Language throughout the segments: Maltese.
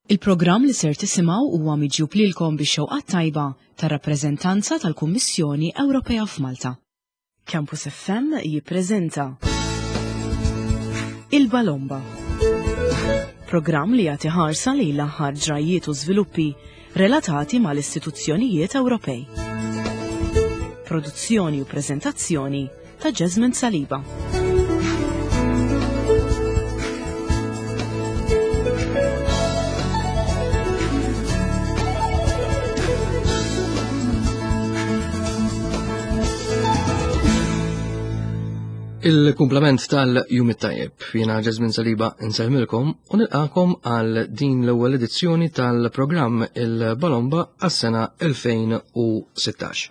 Il-programm li ser tisimgħu huwa miġjub lilkom bix-xewqat tajba tar-rappreżentanza tal-Kummissjoni Ewropea f'Malta. Campus FM jippreżenta Il-Balomba. Programm li jagħti ħarsa lejn l-aħħar ġrajjiet u żviluppi relatati mal-istituzzjonijiet Ewropej. Produzzjoni u preżentazzjoni ta' Jasmine Saliba. Il-kumplament tal-Jum it-Tajjeb, jiena Jasmine Saliba insellmilkom u nilqakom għal din l-ewwel edizzjoni tal-programm Il-Balomba għas-sena 2016.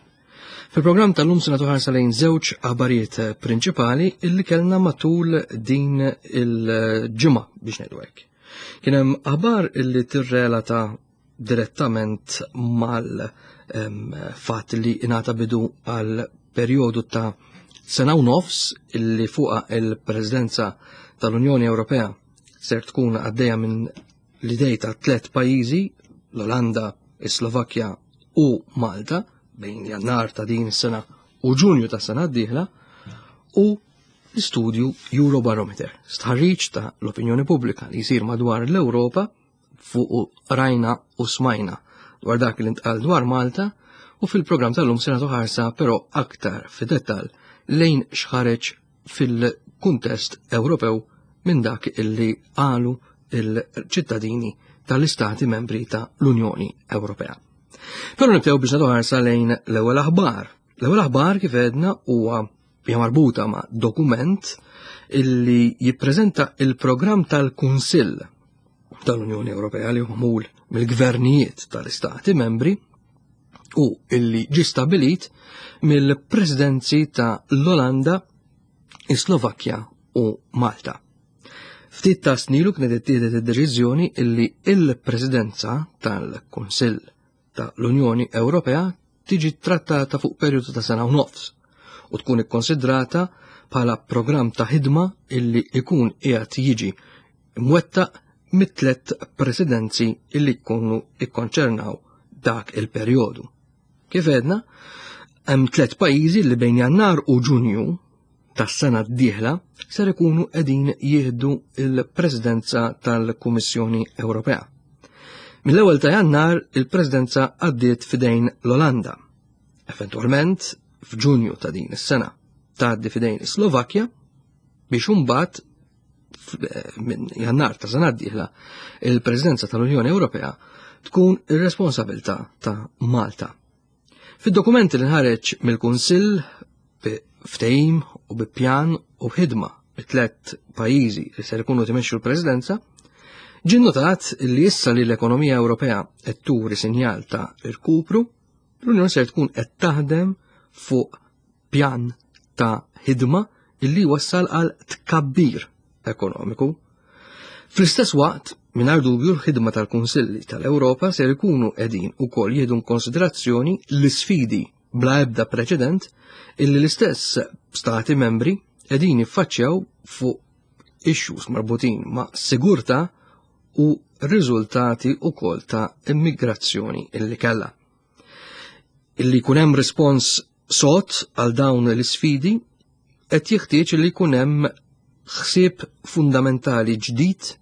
Fil-programm tal-lum se nagħtu ħarsa lejn żewġ aħbarijiet prinċipali illi kellna matul din il-ġimgħa biex ngħidu hekk. Kien hemm aħbar illi tirrelata direttament mal-fatt li ingħata bidu għal perjodu ta' sena u nofs illi fuqa il-Presidenza tal-Unjoni Ewropea ser tkun għaddejja minn l-idej ta' tlet pajjiżi, l-Olanda, is-Slovakkja u Malta, bejn Jannar ta' din is-sena u Ġunju ta' sena d-dieħla, u l-istudju Eurobarometer, stħarriġ ta' l-opinjoni pubblika li jsir madwar l-Ewropa fuq rajna u smajna dwar dak li ntqal dwar Malta u fil-programm tal-lum se nagħtu ħarsa però aktar fid-dettall lejn x'ħareġ fil-kuntest Ewropew minn dak illi qalu il-ċittadini tal-istati membri ta' l-Unjoni Ewropea. Però nibdew biex nagħtu ħarsa lejn l-ewwel aħbar. L-ewwel aħbar kif għedna huwa hija marbuta ma' dokument illi jippreżenta il-programm tal-Kunsill tal-Unjoni Ewropea li huwa mill-gvernijiet tal-istati membri u illi ġi stabilit mill-presidenzi ta' l-Olanda, is-Slovakkja u Malta. Ftit ta' snilu kienet ittieħdet id-deċiżjoni illi il-Presidenza tal-Kunsill ta' l-Unjoni Ewropea tiġi trattata fuq perjodu ta' sena u nofs u tkun ikkonsidrata bħala programm ta' ħidma illi ikun qiegħed jiġi mwettaq mit-tlet presidenzi illi jkunu ikkonċernaw dak il-perjodu. Kif għedna, hemm tlet pajjiżi li bejn Jannar u Ġunju tas-sena d-dieħla ser ikunu qegħdin jieħdu il-Presidenza tal-Kummissjoni Ewropea. Mill-ewwel ta' Jannar il-Presidenza għaddiet fidejn l-Olanda. Eventwalment f'Ġunju ta' din is-sena tgħaddi fidejn is-Slovakkja biex imbagħad minn Jannar ta' sena d-dieħla il-Presidenza tal-Unjoni Ewropea tkun ir-responsabilità ta' Malta. Fid-dokumenti li nħareġ mill-Kunsill bi ftehim u bi pjan u b'ħidma bit-tlet pajjiżi li ser ikunu timexxu l-Presidenza, ġie notat li issa li l-ekonomija Ewropea qed turi sinjal ta' irkupru, l-Unjoni ser tkun qed taħdem fuq pjan ta' ħidma illi wassal għal tkabbir ekonomiku. Fl-istess waqt, mingħajr dubju l-ħidma tal-Kunsilli tal-Ewropa ser ikunu qegħdin ukoll jieħdu konsiderazzjoni l-isfidi bla ebda preċedent illi l-istess stati membri qegħdin jiffaċċjaw fuq issues marbutin ma' sigurtà u riżultati ukoll ta' immigrazzjoni illi kellha. Illi jkun hemm rispons sod għal dawn l-isfidi qed jeħtieġ li jkun hemm ħsieb fundamentali ġdid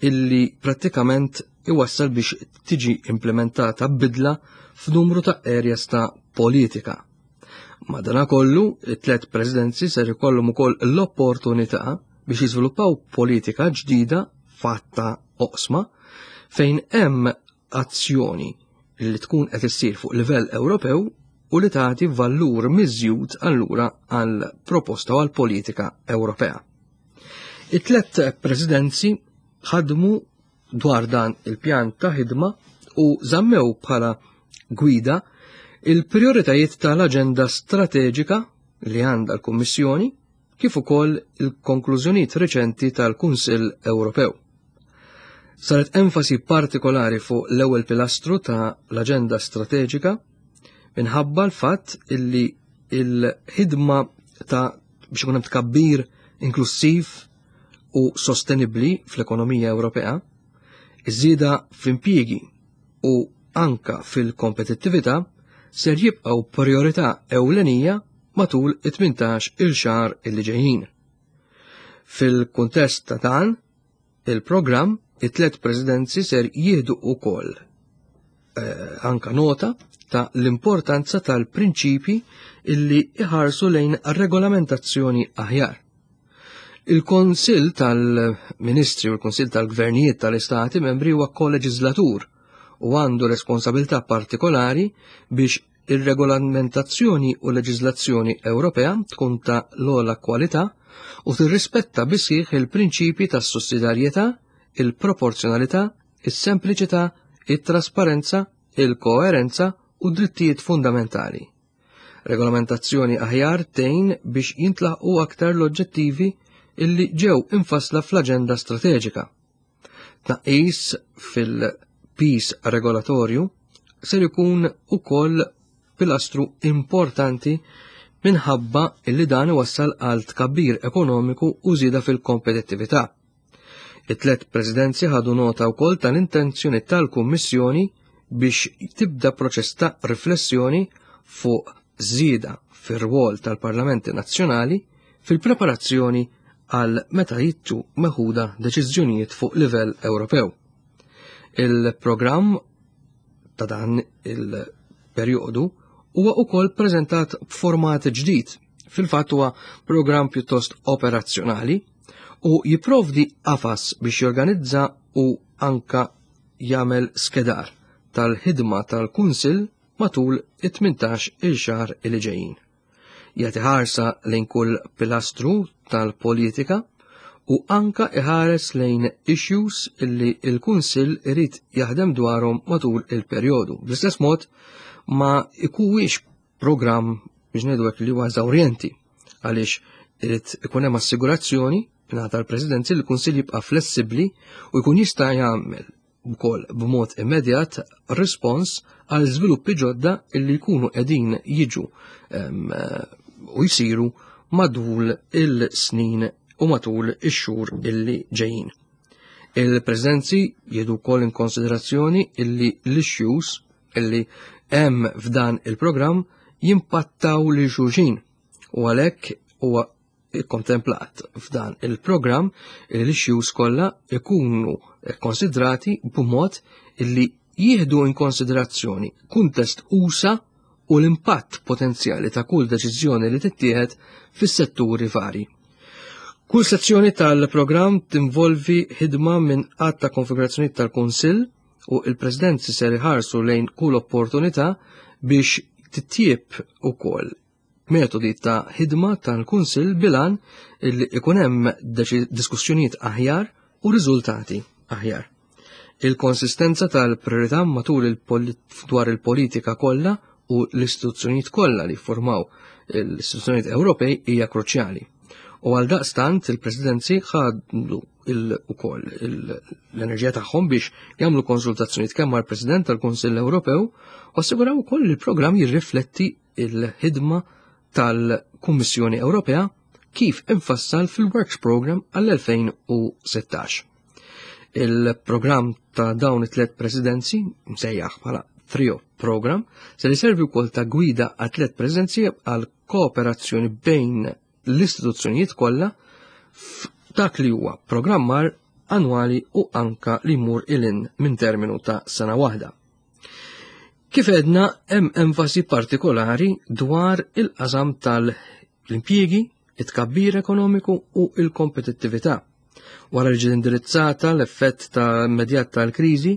illi prattikament iwassal biex tiġi implementata bidla f'numru ta' areas ta' politika. Madanakollu, it-tlet presidenzi ser ikollhom ukoll l-opportunità biex jiżviluppaw politika ġdida fatta oqsma fejn hemm azzjoni li tkun qed issir fuq livell Ewropew u li tagħti valur miżjud allura għal proposta u għal politika Ewropea. It-tlet presidenzi ħadmu dwar dan il-pjan ta' ħidma u żammew bħala gwida il-prioritajiet tal-aġenda strateġika li għandha l-Kummissjoni kif ukoll il-konklużjonijiet reċenti tal-Kunsill Ewropew. Saret enfasi partikolari fuq l-ewwel pilastru ta' l-aġenda strateġika minħabba l-fatt illi il-ħidma ta' biex ikun hemm tkabbir inklusiv u sostenibbli fl-ekonomija Ewropea. Iż-żieda fl-impjiegi u anka fil-kompetittività ser jibqgħu priorità ewlenija matul it-18 il xahar illi ġejjin. Fil-kuntest ta' dan, il-programm, it-tlet presidenzi ser jieħdu wkoll eh, anka nota ta' l-importanza tal-prinċipi illi iħarsu lejn regolamentazzjoni aħjar. Il-Konsil tal-Ministri u l-Konsil tal-Gvernijiet tal-Istati membri huwa koleġislatur u għandu responsabilità partikolari biex ir-regolamentazzjoni u leġiżlazzjoni Ewropea tkun ta' l-ogħla kwalità u tirrispetta bisħiħ il-prinċipji tas-sussidjarjetà, il-proporzjonalità, is-sempliċità, it-trasparenza, il-koerenza u d-drittijiet fundamentali. Regolamentazzjoni aħjar tgħin biex jintlaħqu aktar l-oġġettivi illi ġew infassla fl-aġenda strateġika. Tnaqqis fil-piż regolatorju ser ikun ukoll pilastru importanti minħabba illi dan iwassal għal tkabbir ekonomiku u żieda fil-kompetittività. It-tlet presidenzi ħadu nota wkoll tal-intenzjoni tal-Kummissjoni biex tibda proċess ta' riflessjoni fuq żieda fir-rwol tal-Parlamenti Nazzjonali fil-preparazzjoni għal meta jittu meħuda deċiżjonijiet fuq livell Ewropew. Il-programm ta' dan il-perjodu huwa wkoll preżentat b'format ġdid. Fil-fatt huwa programm pjuttost operazzjonali u jipprovdi qafas biex jorganizza u anka jagħmel skedar tal-ħidma tal-Kunsill matul it-18 il xahar li ġejjin. Jagħti ħarsa lejn kull pilastru tal-politika u anka iħares lejn issues illi il-Kunsill irid jaħdem dwarhom matul il-perjodu. Bl-istess mod ma ikuwix programm biex ngħidu hekk li huwa eżawrjenti għaliex irid ikun hemm assigurazzjoni mingħata l-Presidenzi li l-Kunsill jibqa' flessibbli u jkun jista' jagħmel wkoll b'mod immedjat rispons għal żviluppi ġodda illi jkunu qegħdin jiġu u jsiru madwul il-snin u matul ix-xhur illi ġejjin. Il-preżenzi jieħdu wkoll in konsiderazzjoni illi l-issues illi hemm f'dan il-programm jimpattaw lil xulxin u għalhekk huwa ikkontemplat f'dan il-programm li l-issues kollha ikunu konsidrati b'mod illi jieħdu in konsiderazzjoni kuntest usa u l-impatt potenzjali ta' kull deċiżjoni li tittieħed fis-setturi vari. Kull sezzjoni tal-programm tinvolvi ħidma minn għadd ta' konfigurazzjonijiet tal-Kunsill u il-Presidenzi ser iħarsu lejn kull opportunità biex titjieb ukoll metodi ta' ħidma tal-Kunsill bilan illi ikun hemm diskussjonijiet aħjar u riżultati aħjar. Il-konsistenza tal-priorità matul il dwar il-politika kollha u l-istituzzjonijiet kollha li formaw l-istituzzjonijiet Ewropej hija kruċjali. U għal daqstant il-presidenzi ħadu ukoll l-enerġija tagħhom biex jagħmlu konsultazzjonijiet kemm mal-President tal-Kunsill Ewropew u assiguraw ukoll li l-programm jirrifletti il-ħidma tal-Kummissjoni Ewropea kif infassal fil-Works Program għall-2016. Il-programm ta' dawn it-tlet presidenzi, msejjaħ bħala Trio Program, se li servi wkoll ta' gwida għat tlet presidenzi għal kooperazzjoni bejn l-istituzzjonijiet kollha f'dak li huwa programmar annwali u anka li jmur ilin minn terminu ta' sena waħda. Kif edna hemm enfasi partikolari dwar il-qasam tal-impjiegi, it-tkabbir ekonomiku u il-kompetittività. Wara li ġiet indirizzata l-effett ta' immedjat tal-kriżi,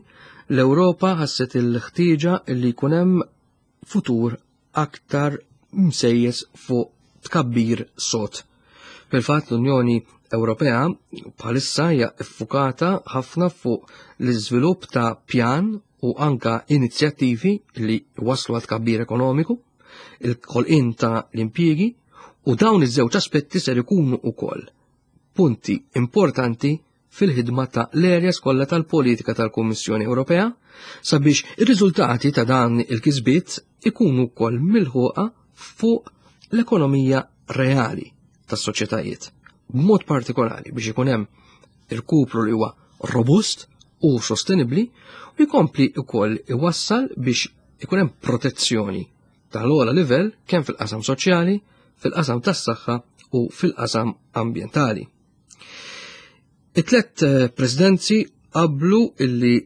l-Ewropa ħasset il-ħtieġa li jkun hemm futur aktar msejjes fuq tkabbir sod. Fil-fatt l-Unjoni Ewropea bħalissa hija ffukata ħafna fuq l-iżvilupp ta' pjan u anka inizjattivi li waslu għal tkabbir ekonomiku, il-ħolqien ta' l-impjiegi u dawn iż-żewġ aspetti ser ikunu wkoll punti importanti fil-ħidma ta' l-areas kollha tal-politika tal-Kummissjoni Ewropea sabiex ir-riżultati ta' dan il-kisbiet ikunu wkoll milħuqa fuq l-ekonomija reali tas-soċjetajiet. B'mod partikolari biex ikun hemm irkupru li huwa robust u sostenibbli u jkompli wkoll iwassal biex ikun hemm protezzjoni tal-ogħla livell kemm fil-qasam soċjali, fil-qasam tas-saħħa u fil-qasam ambjentali. It-tlet eh, presidenzi qablu illi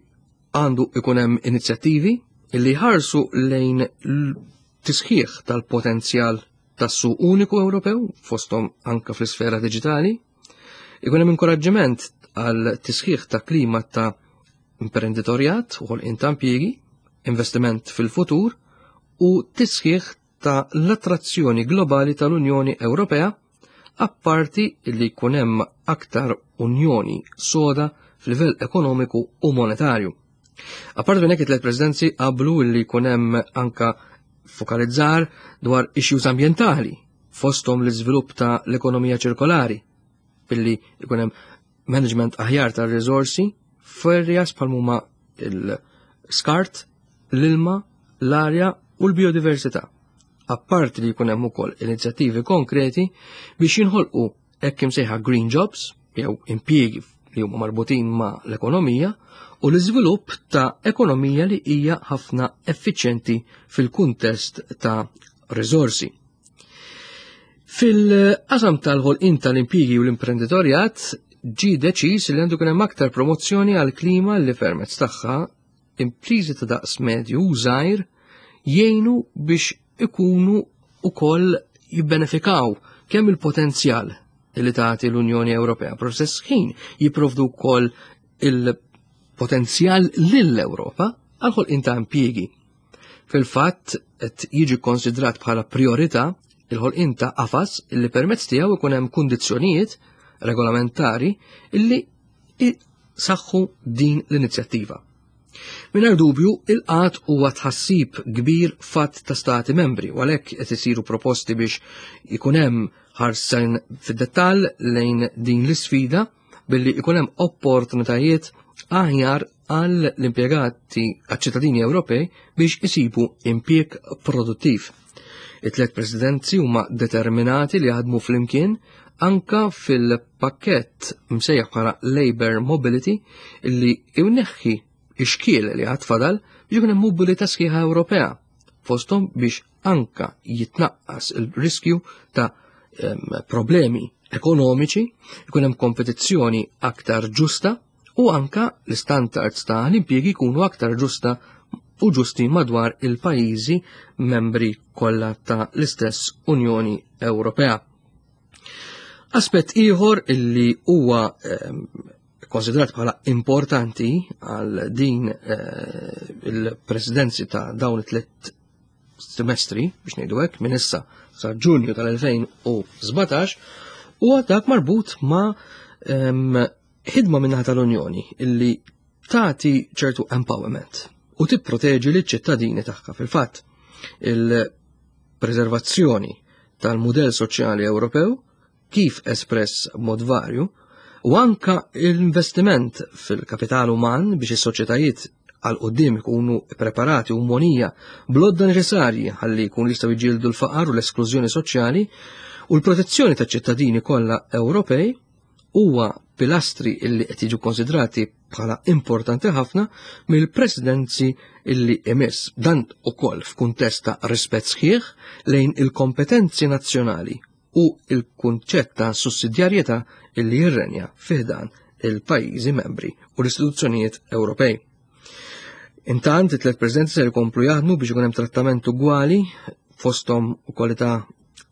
għandu ikun hemm inizjattivi illi ħarsu lejn tisħiħ tal-potenzjal tas-suq uniku Ewropew fosthom anka fl-isfera diġitali, ikun hemm inkoraġġiment għal tisħiħ ta' klima ta' imprenditorjat u ħolqien ta' impjiegi, investiment fil-futur u tisħiħ ta' l-attrazzjoni globali tal-Unjoni Ewropea apparti li jkun hemm aktar unjoni soda f'livell ekonomiku u monetarju. Apparti minn hekk it-tliet presidenzi qablu li jkun hemm anka fokalizzar dwar issues ambjentali fosthom l-iżvilupp ta' l-ekonomija ċirkolari billi jkun hemm management aħjar tar-riżorsi f'areas bħal huma il-skart, l-ilma, l-arja u l-biodiversità. Apparti li jkun hemm ukoll inizjattivi konkreti biex jinħolqu hekk imsejħa green jobs jew impjiegi li huma marbutin ma' l-ekonomija u l-iżvilupp ta' ekonomija li hija ħafna effiċjenti fil-kuntest ta' riżorsi. Fil-qasam tal-ħolqien tal-impjiegi u l-imprenditorjat ġie deċiż li għandu hemm aktar promozzjoni għal klima li permezz tagħha impriżi ta' daqs medju u żgħir jgħinu biex ikunu ukoll jibbenefikaw kemm il-potenzjal li tagħti l-Unjoni Ewropea, però stess ħin jipprovdu wkoll il-potenzjal lill-Ewropa għal ħolqien ta' impjiegi. Fil-fatt qed jiġi konsidrat bħala priorità il-ħolqien ta' qafas illi permezz tiegħu ikun hemm kundizzjonijiet regolamentari illi saħħu din l-inizjattiva. Mingħajr dubju, il-qat huwa tħassib kbir fatt ta' stati membri u għalhekk qed isiru proposti biex ikun hemm ħarsen fid-dettall lejn din l-isfida billi ikun hemm opportunitajiet aħjar għall impjegati għaċ-ċittadini Ewropej biex isibu impjieg produttiv. It-tliet presidenzi huma determinati li jaħdmu flimkien anka fil-pakkett msejjaħ bħala Labor Mobility li jneħħi ix-xkiel li għad fadal biex ikun hemm mobilità sħiħa Ewropea fosthom biex anka jitnaqqas il-riskju ta' problemi ekonomiċi, ikun hemm kompetizzjoni aktar ġusta u anka l-istandards ta' l-impjiegi jkunu aktar ġusta u ġusti madwar il-pajjiżi membri kollha ta' l-istess Unjoni Ewropea. Aspett ieħor illi huwa konsidrat bħala importanti għal din eh, il-presidenzi ta' dawn it-tliet semestri, biex ngħidu hekk, minn issa sa Ġunju tal-2017, huwa dak marbut ma' ħidma minnaħa tal-Unjoni illi tagħti ċertu empowerment u tipproteġi liċ-ċittadini tagħha fil-fatt. Il-preservazzjoni tal-mudell soċjali Ewropew kif espress b'mod varju, u anka l-investiment fil-kapital uman biex is-soċjetajiet għal qudiem ikunu preparati u monija blodda neċessarji ħalli jkunu jistgħu jġieldu l-faqar u l-esklużjoni soċjali u l-protezzjoni taċ-ċittadini kollha Ewropej huwa pilastri illi qed jiġu konsidrati bħala importanti ħafna mill-presidenzi illi imiss. Dan ukoll f'kuntest ta' rispett sħiħ lejn il-kompetenzi nazzjonali u il-kunċett ta' sussidjarjetà illi jirrenja fiħdan il-pajjiżi membri u l-istituzzjonijiet Ewropej. Intant, it-tlet presidenti se jkomplu jaħdmu biex ikun hemm trattament ugwali fosthom u kwalità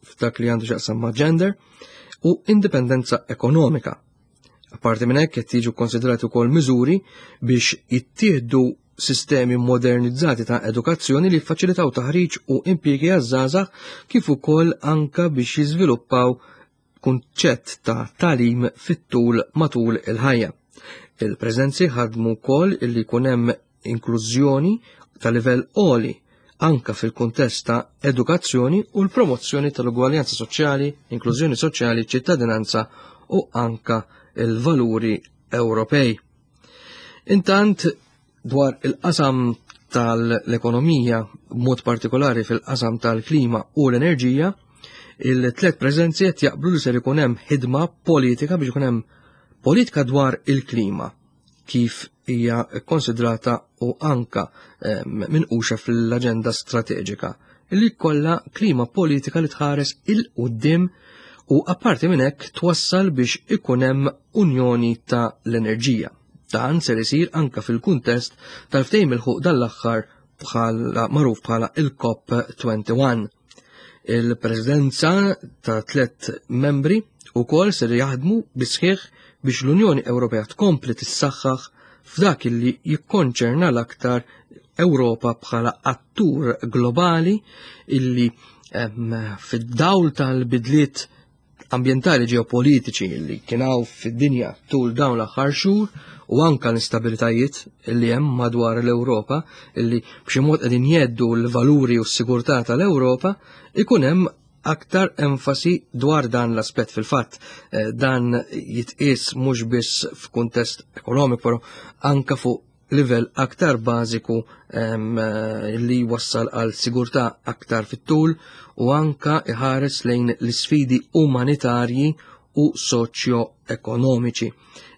f'dak li għandu x'jaqsam ma' gender u indipendenza ekonomika. Apparti minn hekk qed jiġu konsidrati wkoll miżuri biex jittieħdu sistemi modernizzati ta' edukazzjoni li jiffaċilitaw taħriġ u impjiegi għaż-żgħażagħ kif ukoll anka biex jiżviluppaw kunċett ta' tagħlim fit-tul matul il-ħajja. Il-preżenzi ħadmu wkoll illi jkun hemm inklużjoni ta' livell għoli anka fil-kuntest ta' edukazzjoni u l-promozzjoni tal-ugwaljanza soċjali, inklużjoni soċjali, ċittadinanza u anka il-valuri Ewropej. Intant dwar il-qasam tal-ekonomija, b'mod partikolari fil-qasam tal-klima u l-enerġija, il-tlet preżenzi qed jaqblu li ser ikun hemm ħidma politika biex ikun hemm politika dwar il-klima kif hija konsidrata u anka minquxa fl-aġenda strateġika li kollha klima politika li tħares il-qudiem u apparti minn hekk twassal biex ikun hemm unjoni ta' l-enerġija. Dan ser isir anka fil-kuntest tal-ftehim il-ħuq dan l-aħħar bħala magħruf bħala il-COP21. Il-presidenza ta' tlet membri ukoll ser jaħdmu bisħiħ biex l-Unjoni Ewropea tkompli tissaħħaħ f'dak li jikkonċerna l-aktar Ewropa bħala attur globali illi fid-dawl tal-bidliet ambjentali ġeopolitiċi li kienaw fid-dinja tul dawn l-aħħar xhur u anka l-instabilitajiet li hemm madwar l-Ewropa illi b'xi mod qegħdin jeddu l-valuri u s-sigurtà tal-Ewropa ikun hemm aktar enfasi dwar dan l-aspett fil-fatt. Eh, dan jitqies mhux biss f'kuntest ekonomiku, però anka fuq livell aktar bażiku eh, li wassal għal sigurtà aktar fit-tul u anka iħares lejn l-isfidi umanitarji u soċjo-ekonomiċi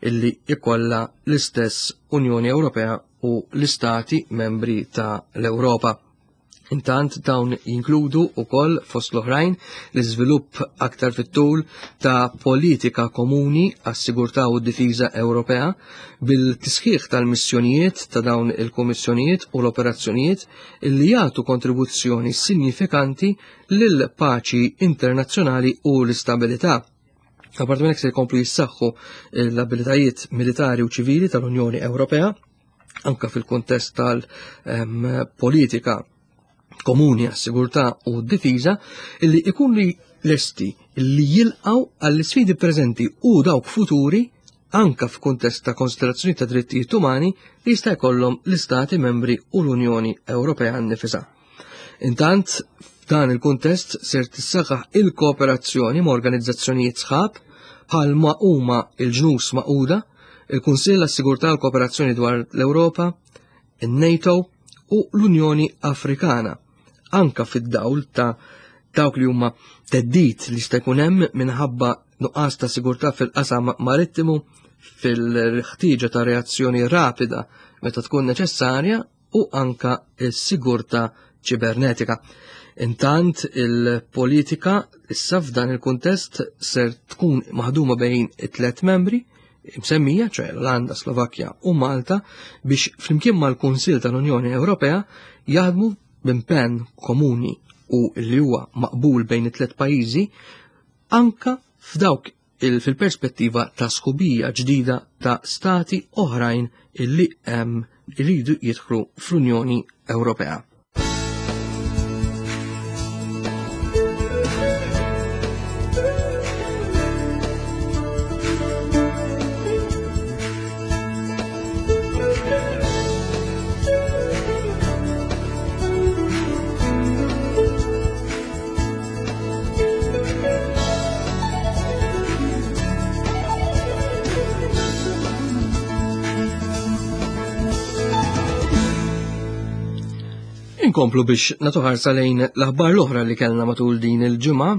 illi ikolla l-istess Unjoni Ewropea u l-istati membri ta' l-Ewropa. Intant dawn jinkludu ukoll fost l-oħrajn l-iżvilupp aktar fit-tul ta' politika komuni għas-sigurtà u d-difiża Ewropea bil-tisħiħ tal-missjonijiet ta' dawn il-kummissjonijiet u l-operazzjonijiet li jagħtu kontribuzzjoni sinjifikanti lil paċi internazzjonali u l-istabilità. Apparti minn hekk se jkomplu jissaħħu l-abilitajiet militari u ċivili tal-Unjoni Ewropea anka fil-kuntest tal-politika komuni għas-sigurtà u d-difiża illi ikun li lesti li jilqaw għall-sfidi preżenti u dawk futuri anka f'kuntest ta' konsiderazzjoni ta' drittijiet umani li jista' jkollhom l-Istati membri u l-Unjoni Ewropea nnifisha. Intant, f'dan il-kuntest ser tissaħħaħ il-kooperazzjoni ma' organizzazzjonijiet sħab bħal ma huma il-ġnus Magħquda, il-Kunsill għas-Sigurtà u l-Kooperazzjoni dwar l-Ewropa, in-NATO u l-Unjoni Afrikana, anka fid-dawl ta' dawk li huma teddit li jista' jkun hemm minħabba nuqqas ta' sigurtà fil-qasam marittimu, fil-ħtieġa ta' reazzjoni rapida meta tkun neċessarja u anka s-sigurtà ċibernetika. Intant il-politika issa f'dan il-kuntest ser tkun maħduma bejn it-tlet membri msemmija, ċoħe l-Olanda, Slovakkja u Malta, biex flimkien mal-Kunsil tal-Unjoni Ewropea jaħdmu b'impenn komuni u li huwa maqbul bejn it-tlet pajjiżi anka f'dawk fil-perspettiva ta' sħubija ġdida ta' stati oħrajn illi hemm iridu jidħlu fl-Unjoni Ewropea. Inkomplu biex nagħtu ħarsa lejn l-aħbar l-oħra li kellna matul din il-ġimgħa,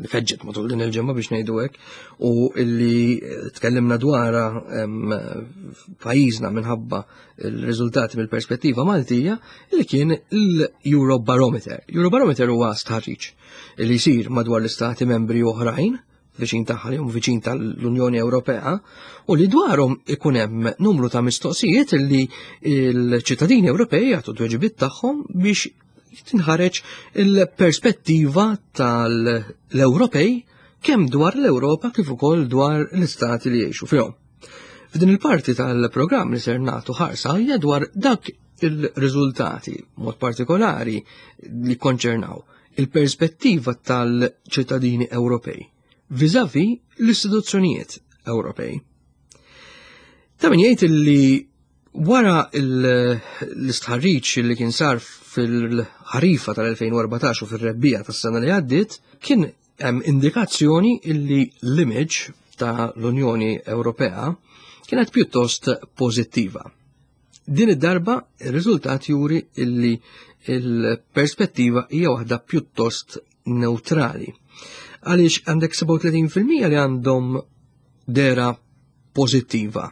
li feġġet matul din il-ġimgħa biex ngħidu hekk, u illi tkellimna dwarha pajjiżna minħabba il-riżultati mill-perspettiva Maltija li kien l-Eurobarometer. Eurobarometer huwa stħarriġ li jsir madwar l-istati membri oħrajn viċin tagħha li viċin tal-Unjoni Ewropea u li dwarhom ikun hemm numru ta' mistoqsijiet li l-ċittadini Ewropej jagħtu tweġibiet tagħhom biex tinħareġ il-perspettiva tal-Ewropej kemm dwar l-Ewropa kif ukoll dwar l-istati li jgħixu fihom. F'din il-parti tal-programm li ser nagħtu ħarsa hija dwar dak il-riżultati mod partikolari li konċernaw il-perspettiva tal-ċittadini Ewropej viżavi l-istituzzjonijiet Ewropej. Ta' min jgħid li wara l-istħarriġ li kien sar fil-ħarifa tal-2014 u fil-rebbija tas-sena li għaddiet, kien hemm indikazzjoni illi l-image ta' l-Unjoni Ewropea kienet pjuttost pożittiva. Din id-darba ir-riżultat juri illi il-perspettiva hija waħda pjuttost neutrali. Għaliex għandek 37% li għandhom dera pożittiva.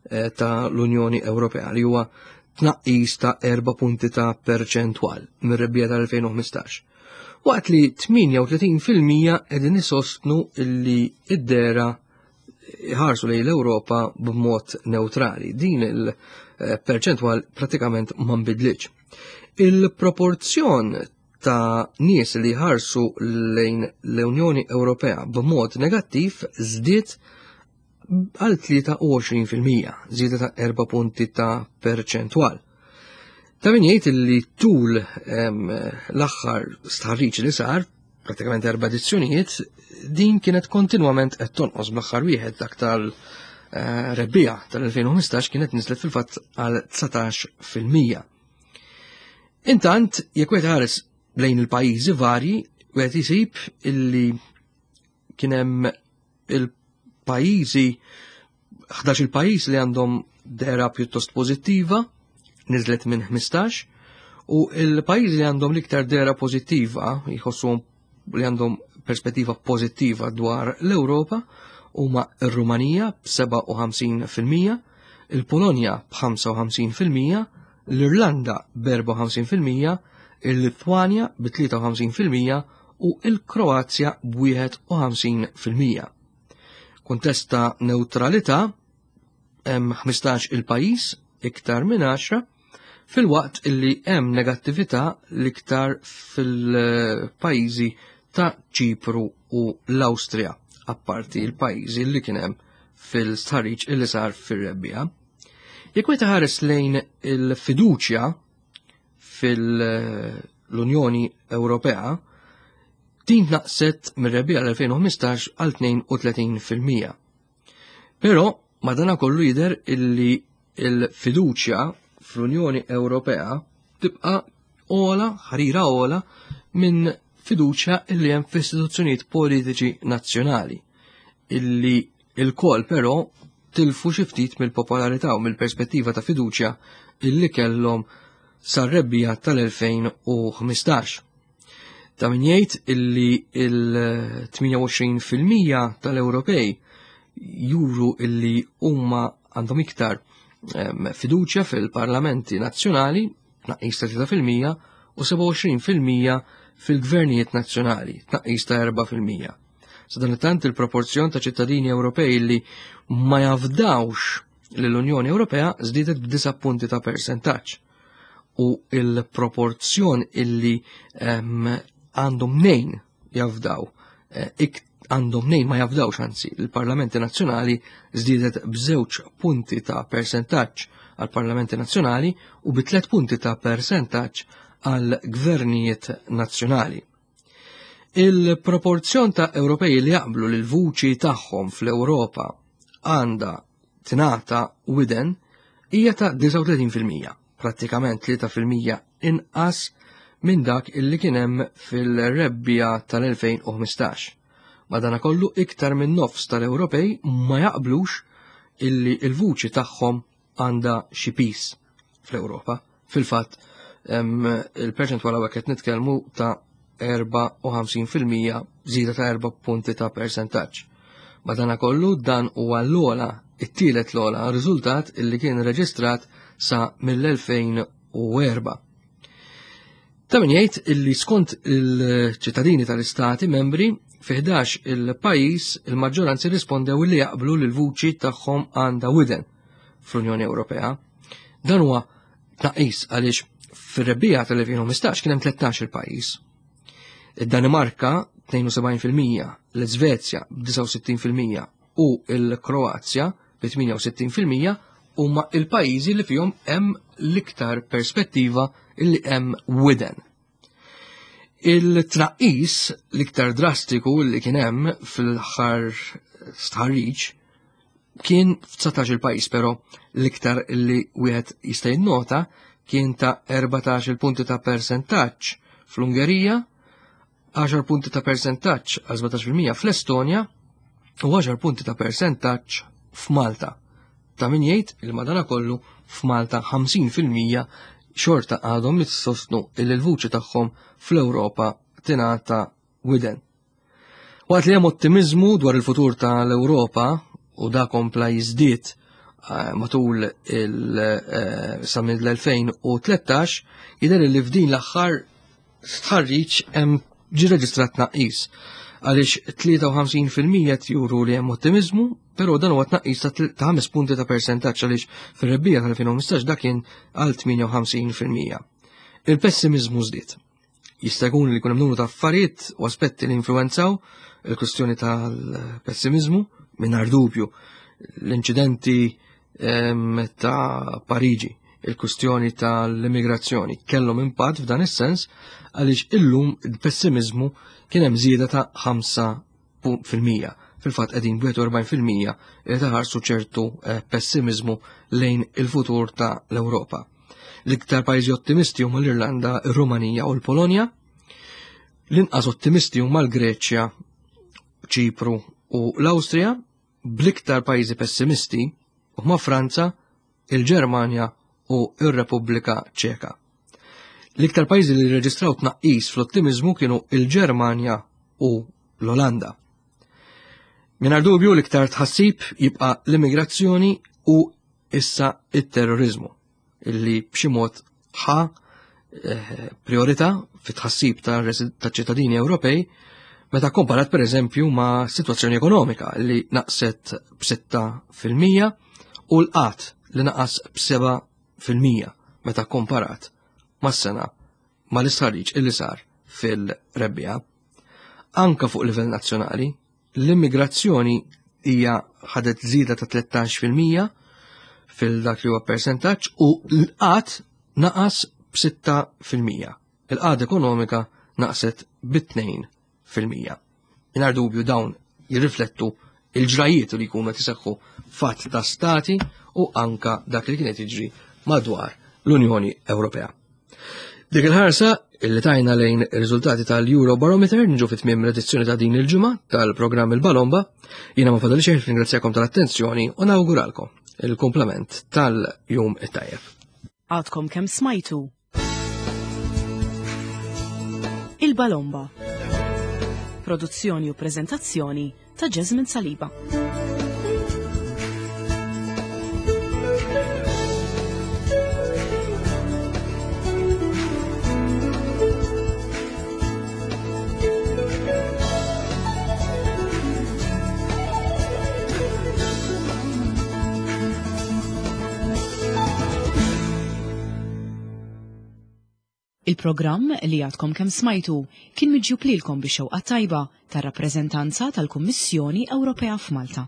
eh, ta' l-Unjoni Ewropea li huwa tnaqqis ta' 4 punti ta' perċentwal mir-rebbija tal-2015. Waqt li 38% qegħdin isostnu illi id-dera ħarsu lejn l-Ewropa b'mod neutrali. Din il-perċentwal pratikament ma nbidlitx. Il-proporzjon ta' nies li ħarsu lejn l-Unjoni Ewropea b'mod negattiv żdied għal 23%, żieda ta' 4 punti ta' perċentwal. Ta' min jgħid li tul l-aħħar stħarriġ li sar, pratikament erba' edizzjonijiet, din kienet kontinwament qed tonqos bl-aħħar wieħed dak tal-rebbija eh, tal-2015 kienet niżlet fil-fatt għal 19%. Intant, jekk wieħed ħares lejn il-pajjiżi varji, wieħed isib illi kien hemm il-pajjiżi 11 il-pajjiż li għandhom dera pjuttost pożittiva, niżlet minn 15, u il-pajjiżi li għandhom l-iktar dera pożittiva, jħossuhom li għandhom perspettiva pożittiva dwar l-Ewropa, huma r-Rumanija b'57%, il-Polonja b'55%, l-Irlanda b'54%, il-Litwanja b'53% u l-Kroazja b'51%. Kuntest ta' neutralità hemm 15 il-pajjiż iktar minn 10 filwaqt illi hemm negattività l-iktar fil-pajjiżi ta' Ċipru u l-Awstrija, apparti l-pajjiżi li kien hemm fil-stħarriġ illi sar fir-rebbija. Jekk wieħed ħares lejn il-fiduċja fil-Unjoni Ewropea, din naqset mir-rebbija l-2015 għal 32%. Però madana kollu jidher illi il-fiduċja fl-Unjoni Ewropea tibqa' ola, ħarira ola, minn fiduċja illi hemm f'istituzzjonijiet politiċi nazzjonali illi il-kol però tilfu xi ftit mill-popolarità u mill-perspettiva ta' fiduċja illi kellhom sar-rebbija tal-2015. Ta' min jgħid illi il-28% tal-Ewropej juru illi huma għandhom iktar fiduċja fil-parlamenti nazzjonali, tnaqqis ta' 3%, u 27% fil-gvernijiet nazzjonali, tnaqqis ta' 4%. Sadanittant il-proporzjon ta' ċittadini Ewropej li ma jafdawx l-Unjoni Ewropea żdiedet b'disa punti ta' persentaġġ u il-proporzjon illi għandhom nejn jafdaw, eh, għandhom nejn ma jafdawx anzi, il-Parlamenti Nazzjonali żdiedet b'żewġ punti ta' persentaġġ għal Parlamenti Nazzjonali u bi tliet punti ta' persentaġġ għal gvernijiet nazzjonali. Il-proporzjon ta' Ewropej li jaqblu li l-vuċi tagħhom fl-Ewropa għandha tingħata widen hija ta' 39%, prattikament 3% inqas minn dak illi kien hemm fil-rebbija tal-2015. Madanakollu iktar minn nofs tal-Ewropej ma jaqblux illi il-vuċi tagħhom għandha xi piż fl-Ewropa. Fil-fatt, il-perċentwal hawnhekk qed nitkellmu ta' 54% żieda ta' 4 punti ta' persentaġġ. Madanakollu dan huwa l-ogħla, it-tielet l-ogħla riżultat illi kien reġistrat sa mill-2004. Ta' min jgħid illi skont il-ċittadini tal-istati membri fi 11 il-pajjiż il-maġġoranzi rispondew li jaqblu li l-vuċi tagħhom għandha widen fl-Unjoni Ewropea. Dan huwa tnaqqis għaliex fir-rebbija tal-2015 kien hemm 13 il-pajjiż. Id-Danimarka 72%, l-Iżvezja b'69% u l-Kroazja bi 68% huma il-pajjiżi li fihom hemm l-iktar perspettiva li hemm widen. Il-tnaqqis l-iktar drastiku li kien hemm fil-aħħar stħarriġ kien f'19 il-pajjiż, però l-iktar li wieħed jista' jinnota kien ta' 14 il-punti ta' persentaġġ fl-Ungerija, 10 punti ta' persentaġġ għal 17% fl-Estonja u 10 punti ta' persentaġġ f'Malta. Ta' min jgħid il madanakollu f'Malta 50% xorta għadhom jissostnu il l-vuċi tagħhom fl-Ewropa tingħata widen. Waqt li hemm ottimiżmu dwar il-futur tal-Ewropa u da kompla jiżdied eh, matul il eh, sa mill-2013 jidher li f'din l-aħħar stħarriġ hemm ġi reġistrat tnaqqis għaliex 53% juru li hemm ottimizmu, però dan huwa tnaqqis ta' 5 punti ta' persentaġġ għaliex fir-rebbija tal-2015 dak kien għal 58%. Il-pessimizmu żdied. Jista' jkun li jkun hemm numru ta' affarijiet u aspetti li influenzaw il-kwistjoni tal-pessimizmu mingħajr dubju l-inċidenti ehm, ta' Pariġi, il-kwistjoni tal-immigrazzjoni kellhom impatt f'dan is-sens għaliex illum il-pessimizmu kien hemm żieda ta' 5%. Fil-fatt qegħdin 41% li taħarsu ċertu eh, pessimizmu lejn il-futur ta' l-Ewropa. L-iktar pajjiżi ottimisti huma l-Irlanda, ir-Rumanija u l-Polonja. L-inqas ottimisti huma l-Greċja, Ċipru u l-Awstrija, bl-iktar pajjiżi pessimisti huma Franza, il-Ġermanja u r-Repubblika Ċeka. L-iktar pajjiżi li rreġistraw tnaqqis fl-ottimiżmu kienu il-Ġermanja u l-Olanda. Mingħajr dubju l-iktar tħassib jibqa' l-immigrazzjoni u issa it-terrorizmu illi b'xi mod ħa eh, priorità fit-tħassib ta' ċittadini Ewropej meta komparat per eżempju ma' situazzjoni ekonomika li naqset b'6% u l-qat li naqas b'7% meta komparat mas-sena mal-istħarriġ illi sar fil-rebbija. Anka fuq livell nazzjonali, L-immigrazzjoni hija ħadet żieda ta' 13% fil-dak li huwa persentaġġ u l-qat naqas b'6%. Il-qagħda ekonomika naqset b'2%. Mingħajr dubju dawn jirriflettu il-ġrajiet li jkunu qed iseħħu fatt ta' stati u anka dak li kienet jiġri madwar l-Unjoni Ewropea. Dik il-ħarsa illi tajna lejn ir-riżultati tal-Eurobarometer niġu fit tmiem l-edizzjoni ta' din il-ġimgħa tal-programm Il-Balomba. Jiena ma fadal xejn ringrazzjakom tal-attenzjoni u nawguralkom il-komplement tal-jum it-tajjeb. Għadkom kemm smajtu Il-Balomba. Produzzjoni u preżentazzjoni ta' Jasmine Saliba. Il-programm li għadkom kemm smajtu kien miġjub lilkom bix-xewqa tajba tar-rappreżentanza tal-Kummissjoni Ewropea f'Malta.